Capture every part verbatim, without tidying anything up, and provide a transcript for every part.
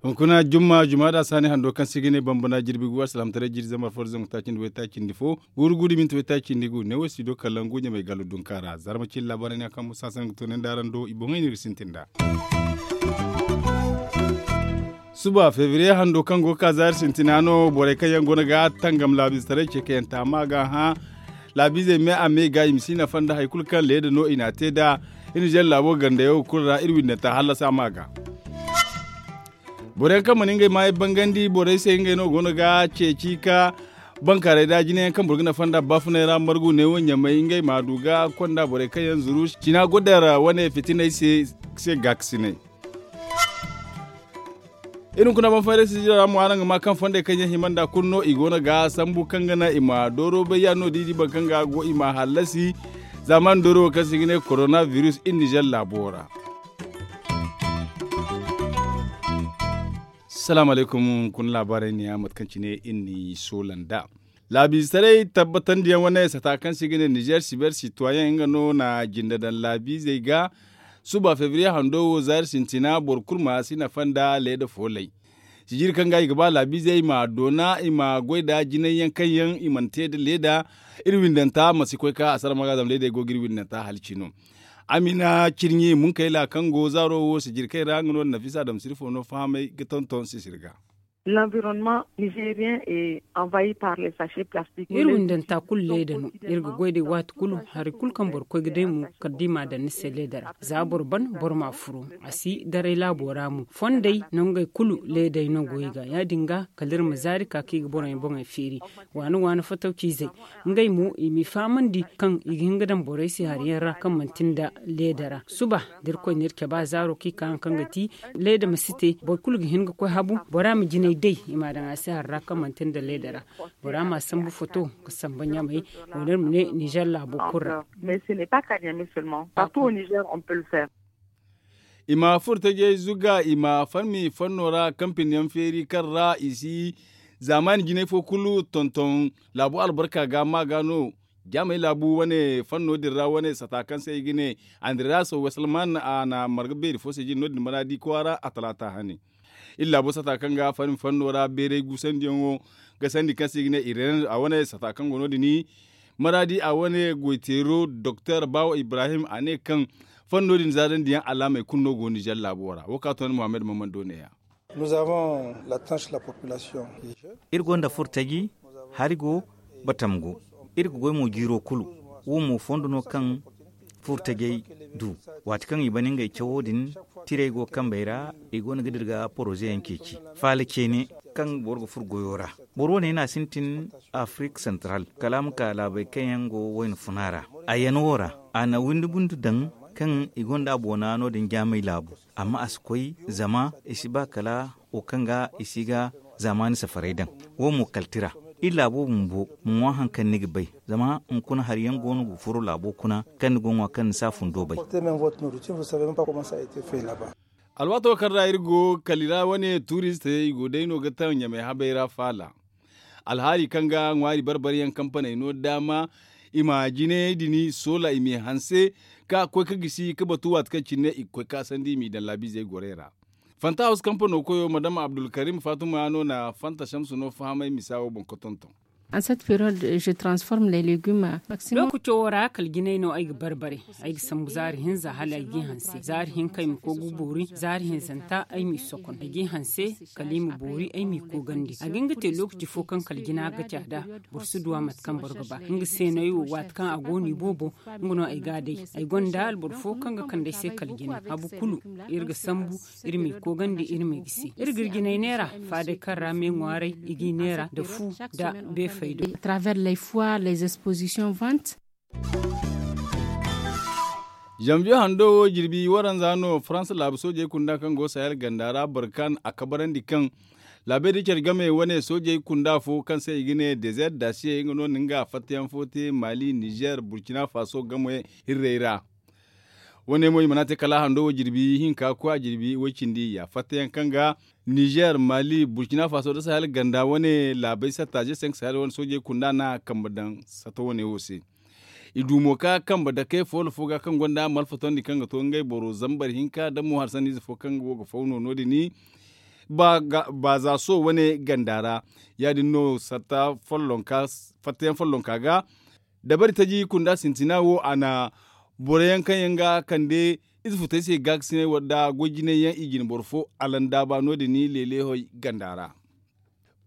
Hunkuna jumma jumma da saani hando kaŋ se i ga ne bambana jirbi gu alsilaamataray jiri zambar fo da zangu taaci nda waytaaci nda fo, guuru guuru minti waytaaci nda gu ne wo si do kala ngu ɲamay galo dunka ra zarma cine laabaarey ne yaŋ kaŋ musa sangu tunandi araŋ do i boŋey no iri ga sintin nd'a. Suba febriye hando kaŋ go ga ka zaari sintina no borey kaŋ yaŋ go no ga tangam laabiizetaray ce kayanta ma ga hã. Laabiizey me a me ga i ma si nafa nda hari kulu kaŋ leeda no i n'a te nd'a. Iri nizer laabo gandayaŋo kulu ra iri windanta hallasa ma ga. Borey yaŋ kaŋ mana ngey maayey bangandi borey se ngey no go no ga ceeci ka bankaaray da jine yaŋ kaŋ boro ga nafa nda baafunay ra margu neewo ɲamay ngey ma a du ga konda borey kaŋ yaŋ zuru cina godar wane fitinay se gaakasinay. Iri hunkuna banfayray sijira ra mo araŋ ga ma kaŋ fondey kaŋ yaŋ hima nda kulu no i go no ga sambu kaŋ ga naŋ i ma dooro bay ya no da i di boro kaŋ ga go i ma hallasi. Zaamaani dooro wo kaŋ se i ga ne korona biris iri nizer laabo ra. Salaamu alaykum hunkuna laabaarey ne ya mate kaŋ cine iri n'i soola nd'a. Laabiizetaray tabbatandiyaŋ wane sata kaŋ se i ga ne nizer siber sitwayeŋ nga no na jinde daŋ laabiizey ga. Suba febriye hando wo zaari sintina boro kulu ma si nafa nda leeda foolay. Sijiri kaŋ ga i ga ba laabiizey i ma doona i ma goy nda jinay yaŋ kaŋ yaŋ i mana te nda leeda. Iri windanta ma si koy ka a sara ma ga zama leedey go ga iri windanta hala cino. Amina cirɲi munkayla kaŋ go zaaro wo sijiri kaŋ ra nga no nafisa dam sirfo no fahamay ga tonton sisiri ga. L'environnement nigérien est envahi par les sachets plastiques. Iri windanta kulu leeda no. Iri ga goy day waati kulu hari kulu kaŋ boro koy ga day mo kala da i m'a daŋ ni se leeda ra za boro ban boro m'a furu. A si daray laabo ra mo fondey nangey kulu leedey no go i ga ya- din ga kala iri ma zaari ka kaŋ i ga boroyaŋ boŋey feeri. Waani waani fataw ciizey ngey mo i m'i fahamandi kaŋ i ga hin ga daŋ borey se hari yaŋ ra kaŋ manti nda leeda ra suba da irkoy na iri cabe a zaaro kaŋ i ka haŋ kaŋ ga ti leeda ma si te boro kulu ga hin ga koy habu bora ma jinay day i m'a daŋ a se hari ra kaŋ manti nda leeda ra. Bora m'a sambu foto ga samba ɲamay. Wala iri ma ne nizer laabo kulu ra. Mais ce n'est pas kanya mais seulement partout au niger on peut le faire. I ma furo tajey zuga i ma farmi fanno ra kampiniyaŋ feeri kaŋ ra i si zaamaani jinay fo kulu tonton laabu albarka ga ma ga no. Jaamey laabu wane fanno din ra wane sata kaŋ se i ga ne andiraso wasalman a na marga beeri fo se jine no- din maraadi kwaara a talaata hane. Iri laabo sata kaŋ ga farmi fanno ra beeray guusandiyaŋo ga sandi kaŋ se i ga ne ireene a wane sata kaŋ go no- din maraadi a wane goyteero doktor baawo ibrahim a ne kaŋ fanno din zaadandiyaŋ alaamey kulu no go nizer laabo ra wo ka toonandi muhammad mammando neeya. Iri gonda furtaji hari go batam go. Iri ga goy mo jiiro kulu wo mo fondo no kaŋ furtajey du. Waati kaŋ i bana ngey cawo din tirey go kambey ra i go no ga dira ga poroze yaŋ ceeci faala ceene kaŋ boro ga furo goyo ra. Boro wane no a sintin afirik santral kala a ma ka laabey kaŋ yaŋ go wayna funa ra. A yan wo ra a na windi bundu daŋ kaŋ i gonda a boona no- din jaamey laabu. Amma a si koy zama i si ba kala wo kaŋ ga i si ga zaamaani safaray daŋ. Wo mo kalti ra iri laabo bumbo ma ŋwa hari kaŋ ni ga bay. Zama hunkuna hari yaŋ go no ga furo laabo kuna kaŋ ni go ga ŋwa kaŋ ni si a fundo bay. Alwaato kaŋ ra iri go kala i ra wane tuuristey i go day no ga taŋ ɲamay habey ra faala. Alhaali kaŋ ga ŋwaari bar-bar yaŋ kampaney no daama i ma jinayey din soola i m'i hanse ka koy ka gisi ka batu waati kaŋ cine i ga koy ka sandi i m'i daŋ laabiizey gorey ra. Fanta hawsu kampano koyo madama abdulkarim faatuma no na fanta samsu no fahamay misa wo boŋ ka tonton. Lookaco wo ra kala jinay no ay ga bar-bare. Ay ga sambu zaari hinza hala ay g'i hanse zaari hinka ay ma koy ga boori zaari hinzanta ay m'i sokon ay g'i hanse kala i ma boori ay m'i koogandi a ga hin ga te lookaci fo kaŋ kala jina ga ca nd'a. Boro si duw'a mate kaŋ boro ga ba nga se no ay wo waati kaŋ a go no i boobo. Nga no ay g'a day ay gonda alboro fo kaŋ ga kande ay se kala jina habu kulu. Iri ga sambu iri m'i koogandi iri m'i gisi iri ga iri jinay neera faaday kaŋ ra me ŋwaaray i g'i neera nda fu nda beefaydo. Travers les foires les expositions ventes. Zanviye hando wo jirbi waranza no faransa laabu soojey kunda kaŋ go sahel ganda ra barkan a kabarandi kaŋ laabey da care game wane soojey kunda fo kaŋ se i ga ne dezer dasiye nga no na nga fattayaŋ fo te mali nizer burkina faso game hirrey ra. Wane mo i mana te kala a hando wo jirbi hinka koy a jirbi way cindi ya fattayaŋ kaŋ ga nizer mali burkina faso nda sahel ganda wane laabey satta ze senk sahel wane soojey kunda no a kambe daŋ satta wane wo se. I du mo ka kambe dake foolo fo ga kaŋ gonda malfatondi kaŋ ga to ngey boro zambar hinka nda mo harsandiize fo kaŋ go ga faw no no- din baaza so wane ganda ra. Ya- din no fattayaŋ follonka ga dabari taji kunda sintina wo a na boro yaŋ kaŋ yaŋ ga kande ize futey se gaakasiney nda goy jinay yaŋ i jine boro fo alandaaba no- din leeleehey ganda ra.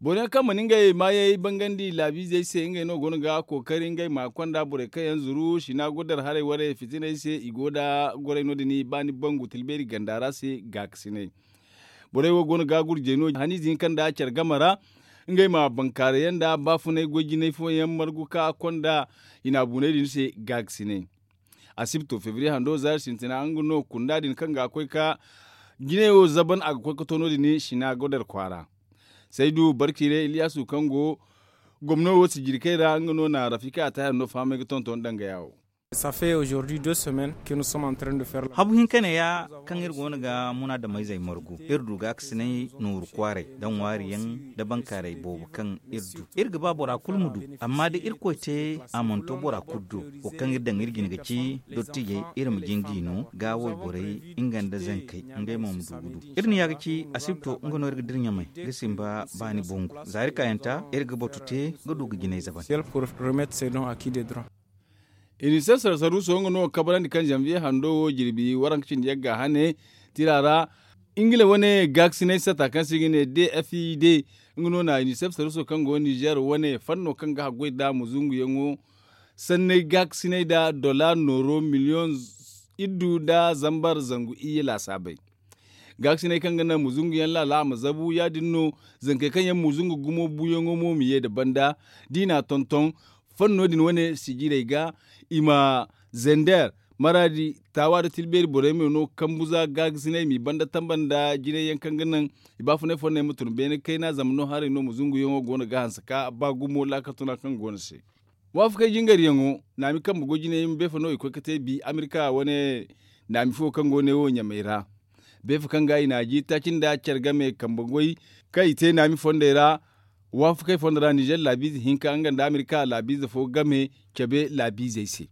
Boro yaŋ kaŋ mana ngey maayey bangandi laabiizey se ngey no go no ga kookari ngey ma konda borey kaŋ yaŋ zuru sina gudar haray warey fitiney se i go nda goray no- din baani bangu tilbeeri ganda ra se gaakasiney. Borey wo go no ga gurjey no haniize hinka nda care game ra ngey ma bankaaray yaŋ nda baafunay goy jinay fooyaŋ margu ka konda hinaabuney din se gaakasiney. Asibto febriye hando zaari sintina nga no kunda din kaŋ ga koy ka jinay wo zaban a ga koy ka to no- din sina godar kwaara. Saydu barkire iliyasu kaŋ go gomno wo sijirkey ra nga no na rafika a taahir no fahamay ga tonton danga yaawo. Habu hinka ne ya kaŋ iri go no ga munaadamayzey margu iri du gaakasinay nooru kwaaray nda ŋwaari yaŋ nda bankaaray boobo kaŋ iri du iri ga ba bora kulu ma du. Amma da irkoy te a mana to bora kulu do wo kaŋ iri daŋ iri jine ga ci dottijey iri ma jin g'i no ga wayborey nga nda zankey ngey mo ma du ga du. Iri na ya ga ci asibto nga no iri ga dira ɲamay ga simba baani bongu za iri kaayanta iri ga batu te ga du ga jinay zaban. Inisef sarsaruso nga no kabrandi kaŋ zanviye hando wo jirbi waranka cindi yagga hane tira ra. Ingila wane gaakasinay sata kaŋ se i ga ne dfid nga no na inisef sarsaruso kaŋ go nizer wane fanno kaŋ ga haggoy nda muzunguyaŋo sanney gaakasinay nda dola nooro miliyoŋ iddu nda zambar zangu iyye laasaabey. Gaakasiney kaŋ ga naŋ muzunguyaŋ laala a ma zabu ya- din no zankey kaŋ yaŋ muzungu gumo buuyaŋo mo ma ye nda banda da i n'a tonton fanno din wane sijirey ga i ma zender maraadi taawa nda tilbeeri borey ma no kambu za gaakasiney m'i banda tamba nda jinay yaŋ kaŋ ga naŋ i baafunay fonney ma tun beene kayna zama no haray no muzunguyaŋo go no ga hanse ka ba gumo laakatuna kaŋ go no se. Waafakey jingaryaŋo naami kambe goy jinay ma beefa no i koy ga te bi amerika wane naami fo kaŋ go ne wo ɲamey ra. Beefa kaŋ ga i n'a ji taaci nda care game kambe goy kaŋ i te naami fondey ra. Waafakey fondo ra nizer laabiize hinka nga nda amerika laabiize fo game cabe laabiizey se.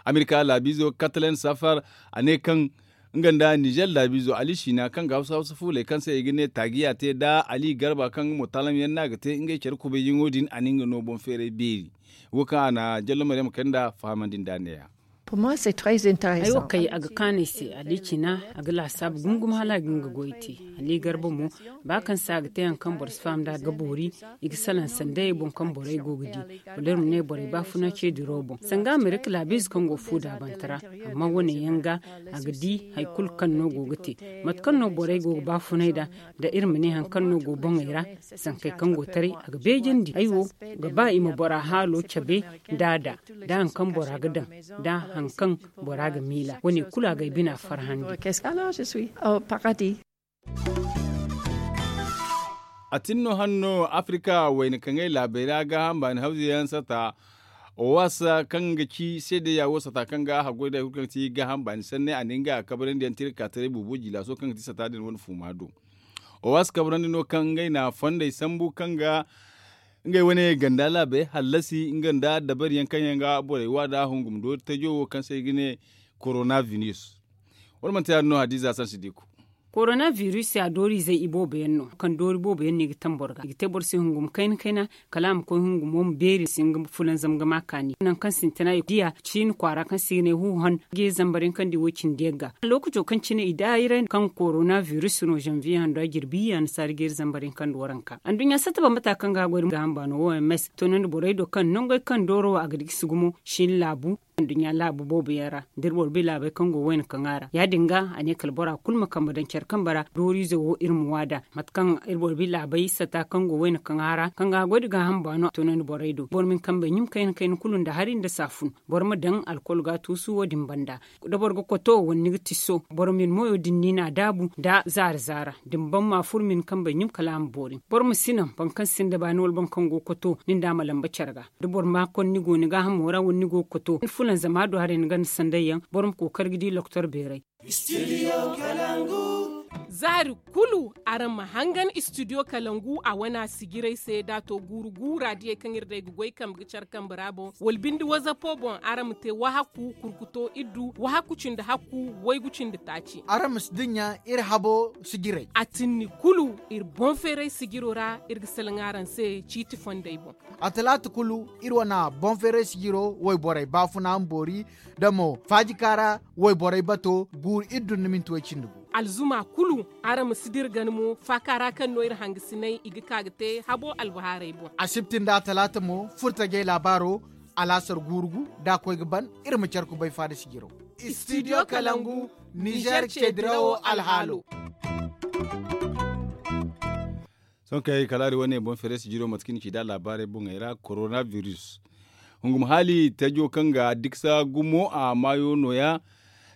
Amerika laabiizo katalen safar a ne kaŋ nga nda nizer laabiizo ali siina kaŋ ga hawsa hawsa fuuley kaŋ se i ga ne taagiya te nda ali garba kaŋ nga mo taalamyaŋ no a ga te ngey care kubayyaŋo din a na nga no boŋ feeray beeri. Wo kaŋ a na jallo maryam kay nda fahamandi nda neeya. Ay wo kay a ga kaanu ay se ali cina a ga laasaabu gumo gumo hala a ga nga goy te. Ali garba mo ba kaŋ se a ga te hari kaŋ boro si faham nd'a ga boori i ga salaŋ sanday boŋ kaŋ borey go ga di. Wala iri ma ne borey baafuna ce diro boŋ sanga amerika laabiize kaŋ go fu daabante ra. Amma wane yaŋ ga a ga di hari kulu kaŋ no go ga te mate kaŋ no borey go ga baafunay nd'a. Da iri ma ne hari kaŋ no go boŋey ra zankey kaŋ go taray a ga beejandi ay wo ga ba i ma bora haalo cabe nd'a da da hari kaŋ bora ga daŋ da hari kaŋ bora ga miila wane kulu a ga ay bina farhandi. A tin no hanno afrika wayna kaŋay laabey ra gaaham baani hawze yaŋ sata owas kaŋ ga ci seedeya wo sata kaŋ ga haggoy da hari kulu kaŋ ga ti gaaham baani sanne a ne nga a kabrandi yaŋ tira ga ka taray boobo jilaso kaŋ ga ti sata din wane fuuma do. Owas kabrandi no kaŋ ngey na fondey sambu kaŋ ga ngey wane ganda laabey hallasi nga nda dabari yaŋ kaŋ yaŋ ga borey wa da hungum do tajo wo kaŋ se i ga ne korona virus. Wala manti ya- din no hadiza sansi diku. Korona virus ya dooriizey i boobo yaŋ no kaŋ doori boobo yaŋ no i ga taŋ boro ga i ga te boro se hungum kayna kayna kala a ma koy hungumo ma beeri si nga fulanzam ga ma kaani nangu kaŋ sintina i diya ciini kwaara kaŋ se i ga ne huuhan geeri zambar yaŋ kaŋ di wo- cindi yaŋ ga. Lookaco kaŋ cine i daayiray kaŋ korona virus no zanviye hando a jirbi annasaara geeri zambar yaŋ kaŋ di waranka anduɲɲa satta bambata kaŋ ga a goy ga hamba no wo m s toonandi borey do kaŋ nangey kaŋ dooro wo a ga di gisi gumo shin laabu anduɲɲa laabu boobo yaŋ ra da iri boro bi laabey kaŋ go wayna kaŋ a ra ya- din ga a ne kala bora kulu ma kambe daŋ care kambe ra dooriize wo iri ma waada mate kaŋ iri boro bi laabey sata kaŋ go wayna kaŋ a ra kaŋ ga a goy da gaaham baano a toonandi borey do boro ma hin kambey ɲum kayna kayna kulu nda hari nda saafun boro ma daŋ alkol ga a tuusu wo- din banda da boro ga koto wala ni ga tiso boro ma ni moyo din ni n'a daabu nda zaara zaara da ni ban ma furo ma ni kambey ɲum kala a ma boori boro ma si naŋ boro kaŋ sinda baani wala boro kaŋ go ga koto ni nda a ma lamba care ga da boro ma konda ni go ni gaahamo ra wala ni go ga koto ni funa Zama a du haray ni ganda sanday yaŋ boro ma kookari ga di loktor beeray. Zaari kulu araŋ ma hangan istidiyo kalangu a wana sijiray se da a to guuru guura diyey kaŋ iri day ga goy kambe ga care kambe ra boŋ wala binde wazapo boŋ araŋ ma te wahakku kurkuto iddu wahakku cindi hakku waygu cindi taaci. Araŋ ma si dinya iri habo sijiray. A tinni kulu iri boŋ feeray sijiro ra iri ga salaŋ araŋ se ciiti fondey boŋ. A talaata kulu iri wana boŋ feeray sijiro wayborey baafuna ma boori da mo faajika ra wayborey bato guuru iri dun ni minti way cindi gu. Alzuma kulu araŋ ma si dira gana mo faaka ra kaŋ no iri hangasinay i ga ka ga te habo albahaarey boŋ. Asibti nda a talaata mo furtajey laabaaro alaasar guuru gu da a koy ga ban iri ma care kubay faada sijiro. Istidiyo kalangu nizer ceedirawo alhaalo. Sohõ kay kala hari wane boŋ feere sijiro mate kaŋ ni ci da laabaarey boŋey ra korona virus hungum haali tajo kaŋ ga diksa gumo a maayo nooya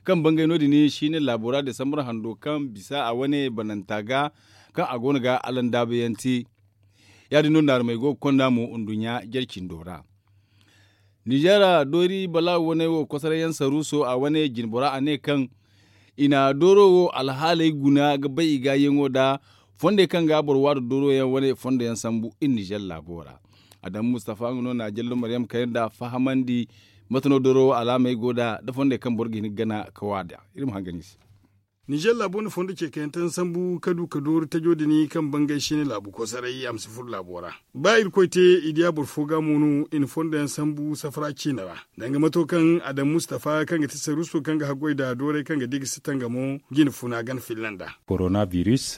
kaŋ bangay no- din siine laabo ra desambar hando kaŋ bisa a wane bananta ga kaŋ a go no ga allandaabayaŋ te. Ya- din no naarumey go ga konda mo nduɲɲa jare cindo ra. Nizeera doori balaawo wane wo kosoray yaŋ saruuso a wane jinbora a ne kaŋ i na dooro wo alhaaley guna ga bay i gaayaŋo nda fondey kaŋ ga boro waadu dooro yaŋ wane fondo yaŋ sambu iri nizeer laabo ra. Adamu mustafa nga no na jallo maryam kayna nda fahamandi mate no dooro wo alaamey go nda nda fondey kaŋ boro ga hin ga gana ga waada iri ma hangan i se. Nizeer laabo na fondo ce kayantaŋ sambu ka du ka doori tajo din kaŋ bangay siine laabu kosoray a ma si furo laabo ra. Ba irkoy te i diya boro fo ga mo no i na fondo yaŋ sambu safara ciine ra. Danga mato kaŋ adamu mustafa kaŋ ga ti saruuso kaŋ ga haggoy nda dooray kaŋ ga di ga si tangamo jine funa gana filla nda. Korona virus,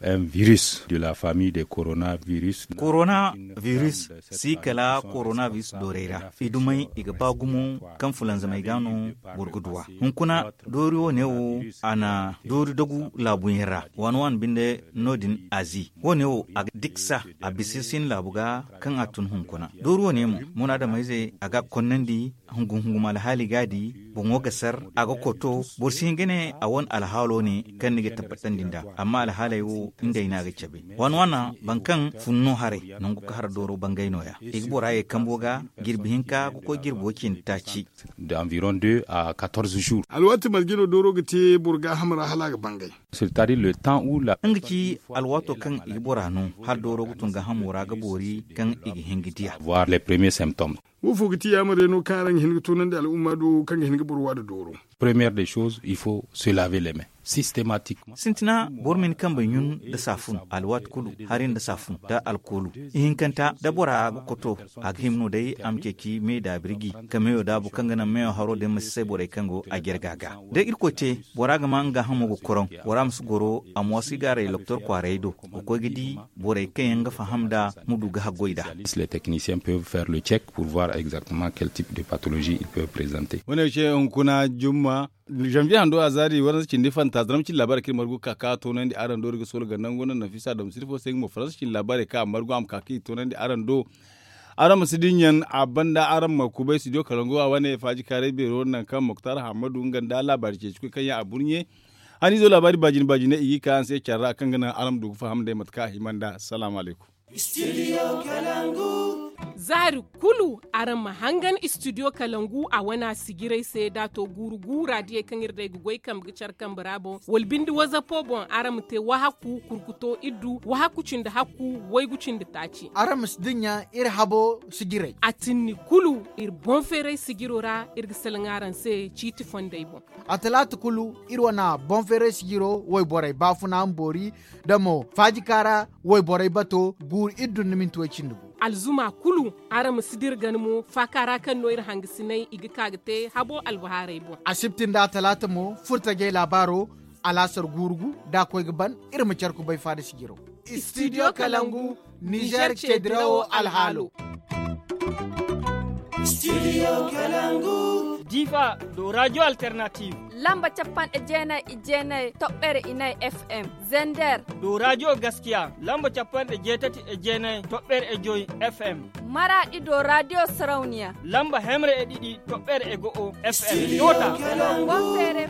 un virus de la famille de korona virus. Korona virus si kala korona virus dooray ra i dumey i ga ba gumo kaŋ fulanzamey ga no boro ga duw'a. Hunkuna doori wo- ne wo a na doori dagu laabuyaŋ ra waani waani binde no- din azi wo- ne wo a ga diksa a bisa sin laabu ga kaŋ a tun hunkuna doori wo- ne mo munaadamayze a ga a konnandi hungum hungum alhaali ga a di boŋo ga sar a ga koto boro si hin ga ne a wane alhaalo ne kaŋ ni ga tabbatandi nd'a amma alhaaley wo ngey no a ga cabe waani waana boro kaŋ fun no haray nangu ka hara dooro bangay nooya i ga bora ye kambo ga jirbi hinka ga koy jirbi wo cindi taaci. D'environ deux à quatorze jours. Alwaati marje no dooro ga te boro gaaham ra hala a ga bangay. Nga ci alwaato kaŋ i ga bora no hala dooro ga tun gaahamo ra ga boori kaŋ i ga hin ga diya. Voir les premiers symptômes. Wo fo ga ti yaamar yaŋ no kaŋ araŋ ga hin ga toonandi al'umma do kaŋ ga hin ga boro waada dooro? Première des choses il faut se laver les mains systématiquement. Sintina boro ma ni kambey ɲun nda saafun alwaati kulu hari nda saafun nda alkoolu. Ihinkanta da bora ga koto a ga hima no day a ma ceeci me da birji ka meyo daabu kaŋ ga naŋ meyo haro din ma si say borey kaŋ go a jarga ga da irkoy te bora ga ma nga hamo ga koroŋ bora ma si goro a mo si gaaray doktor kwaaray do ga koy ga di borey kaŋ yaŋ ga faham nda ma du ga haggoy nda. Les techniciens peuvent faire le check pour voir exactement quel type de pathologie ils peuvent présenter. Wane se hunkuna jumma janvier hando a zaari waranza cindi fanta zaram cindi laabaarey kaŋ iri margu ga ka ka toonandi araŋ do iri ga soola ganda nga wane nafisa dam sirfo se nga mo faransa cindi laabaarey kaŋ a margu a ma ka ka i toonandi araŋ do. Araŋ ma si dinya a banda araŋ ma kubay studio kalangu a wane faaji kaaray beero nangu kaŋ moktar hammadu nga nda laabaari ceeci koy kaŋ yaŋ a burɲe. Haniizo laabaari baajine baajine i ga i ka araŋ se care ra kaŋ ga naŋ araŋ ma du ga faham day mate kaŋ a hima nd'a salaamu alaykum. Zaari kulu araŋ ma hangan istidiyo kalangu a wana sijiray se da a to guuru guura diyey kaŋ iri day ga goy kambe ga care kambe ra boŋ wala binde wazapo boŋ araŋ ma te wahakku kurkuto iddu wahakku cindi hakku waygu cindi taaci. Araŋ ma si dinya iri habo sijiray. A tinni kulu iri boŋ feeray sijiro ra iri ga salaŋ araŋ se ciiti fondey boŋ. A talaata kulu iri wana boŋ feeray sijiro wayborey baafuna ma boori da mo faajika ra wayborey bato guuru iri dun ni minti way cindi gu. Alzuma kulu araŋ ma si dira gana mo faaka ra kaŋ no iri hangasinay i ga ka ga te habo albahaarey boŋ. Asibti nda a talaata mo furtajey laabaaro alaasar guuru gu da a koy ga ban iri ma care kubay faada sijiro. Istidiyo kalangu nizer ceedirawo alhaalo. Difa do radio alternative. Lamba cappanɗe jeenay e jeenay toɓɓere inay fm. Zender do radio gaskiya lamba cappanɗe jeetati e jeenay toɓɓere e joy fm. Maraɗi do radio sarauniya lamba hemre e ɗiɗi toɓɓere e go'o fm. Yota. Bonfere.